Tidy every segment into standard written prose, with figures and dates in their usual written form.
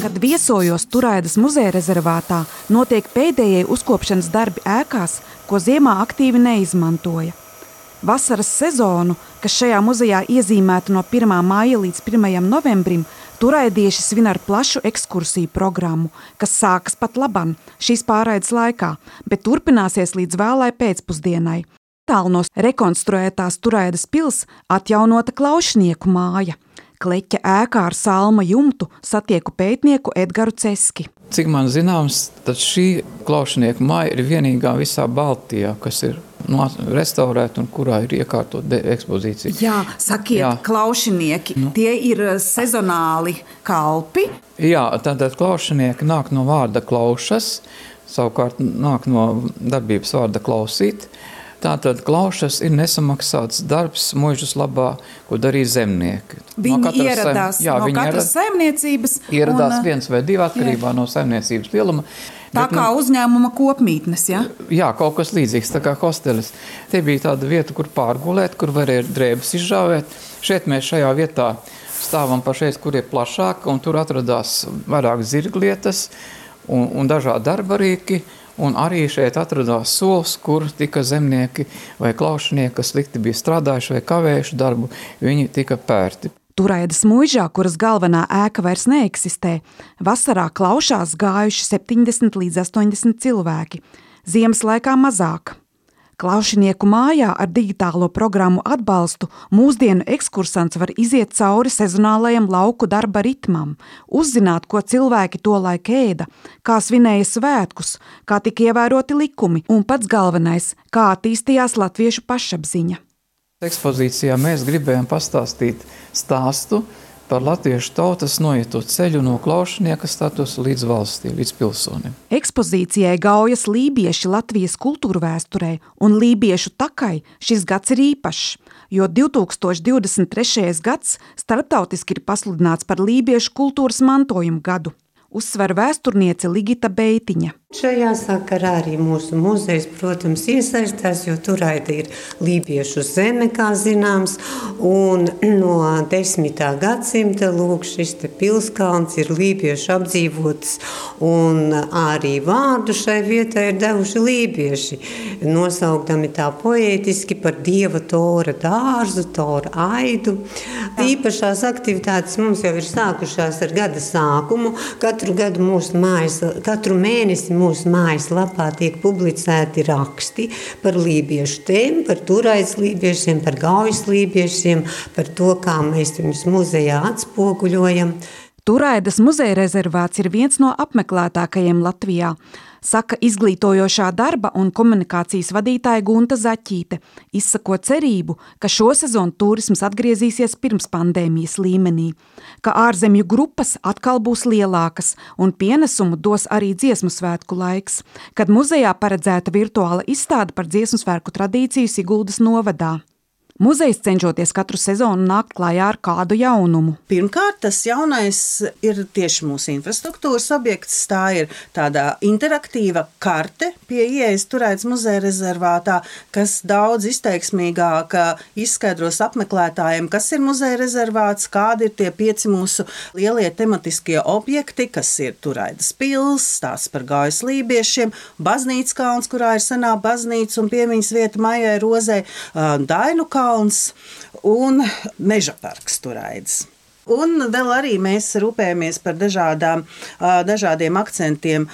Kad viesojos Turaidas muzeja rezervātā, notiek pēdējie uzkopšanas darbi ēkās, ko ziemā aktīvi neizmantoja. Vasaras sezonu, kas šajā muzejā iezīmēta no 1. maija līdz 1. novembrim, turaidieši svin ar plašu ekskursiju programmu, kas sākas pat laban šīs pārraides laikā, bet turpināsies līdz vēlai pēcpusdienai. Tālu no rekonstruētās Turaidas pils atjaunota Klaušnieku māja. Kleķa ēkā ar salma jumtu satieku pētnieku Edgaru Ceski. Cik man zināms, tad šī Klaušnieku māja ir vienīgā visā Baltijā, kas ir restaurēta un kurā ir iekārtota ekspozīcija. Jā, sakiet, Klaušnieki, tie ir sezonāli kalpi? Jā, tātad Klaušnieki nāk no vārda klaušas, savukārt nāk no darbības vārda klausīt. Tātad klaušas ir nesamaksāts darbs muižas labā, ko darīja zemnieki. Viņi ieradās no katras saimniecības. Ieradās viens vai divi atkarībā no saimniecības lieluma. Tā kā uzņēmuma kopmītnes, ja? Jā, kaut kas līdzīgs, tā kā hostelis. Te bija tāda vieta, kur pārgulēt, kur varēja drēbes izžāvēt. Šeit mēs šajā vietā stāvam pašreiz, kur ir plašāk, un tur atradās vairāk zirglietas un dažādi darbarīki. Un arī šeit atradās sols, kur tika zemnieki vai klaušnieki, kas slikti bija strādājuši vai kavējuši darbu, viņi tika pērti. Turaidas muižā, kuras galvenā ēka vairs neeksistē, vasarā klaušās gājuši 70 līdz 80 cilvēki, ziemas laikā mazāk. Klaušinieku mājā ar digitālo programmu atbalstu mūsdienu ekskursants var iziet cauri sezonālajam lauku darba ritmam, uzzināt, ko cilvēki tolaik ēda, kā svinēja svētkus, kā tika ievēroti likumi un pats galvenais, kā attīstījās latviešu pašapziņa. Ekspozīcijā mēs gribējām pastāstīt stāstu par latviešu tautas noieto ceļu no klaušnieka statusa līdz valstī, līdz pilsonim. Ekspozīcijai gaujas lībieši Latvijas kultūru vēsturē un lībiešu takai šis gads ir īpašs, jo 2023. gads starptautiski ir pasludināts par lībiešu kultūras mantojumu gadu. Uzsver vēsturniece Ligita Beitiņa. Šajā sakarā arī mūsu muzejs, protams, iesaistās, jo Turaida ir lībiešu zeme, kā zināms, un no 10. gadsimta lūk šis te pilskalns ir lībiešu apdzīvots, un arī vārdu šai vietai ir devuši lībieši, nosaukdami tā poētiski par dieva tora dārzu, tora aidu. Īpašās aktivitātes mums jau ir sākušās ar gada sākumu. Katru mēnesi mūsu mājaslapā tiek publicēti raksti par lībiešu tēmu, par Turaidas lībiešiem, par gaujas lībiešiem, par to, kā mēs viņus muzejā atspoguļojam. Turaidas muzeja rezervāts ir viens no apmeklētākajiem Latvijā, saka izglītojošā darba un komunikācijas vadītāja Gunta Zaķīte, izsakot cerību, ka šo sezonu turisms atgriezīsies pirms pandēmijas līmenī, ka ārzemju grupas atkal būs lielākas un pienesumu dos arī dziesmu svētku laiks, kad muzejā paredzēta virtuāla izstāde par dziesmu svētku tradīciju Siguldas novadā. Muzejs cenšoties katru sezonu nākt klājā ar kādu jaunumu. Pirmkārt, tas jaunais ir tieši mūsu infrastruktūras objekts. Tā ir tāda interaktīva karte pie ieejas Turaidas muzeja rezervātā, kas daudz izteiksmīgāk izskaidros apmeklētājiem, kas ir muzeja rezervāts, kādi ir tie 5 mūsu lielie tematiskie objekti, kas ir Turaidas pils, stāsts par gaujas lībiešiem, baznīcas kalns, kurā ir senā baznīca un piemiņas vieta Maijai Rozei, Dainu kalns un meža parks Turaidas. Un vēl arī mēs rūpējamies par dažādiem akcentiem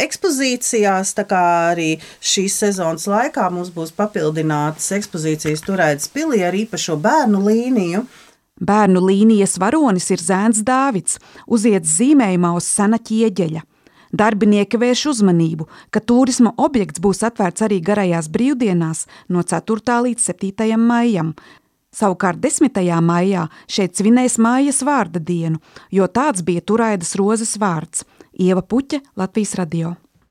ekspozīcijās, tā kā arī šīs sezonas laikā mums būs papildinātas ekspozīcijas Turaidas pilī ar īpašo bērnu līniju. Bērnu līnijas varonis ir zēns Dāvids, uziets zīmējumā uz sena ķieģeļa. Darbinieki vērš uzmanību, ka turisma objekts būs atvērts arī garajās brīvdienās no 4. līdz 7. maijam. Savukārt 10. maijā šeit svinēs mājas vārda dienu, jo tāds bija Turaidas rozes vārds. Ieva Puķe, Latvijas radio.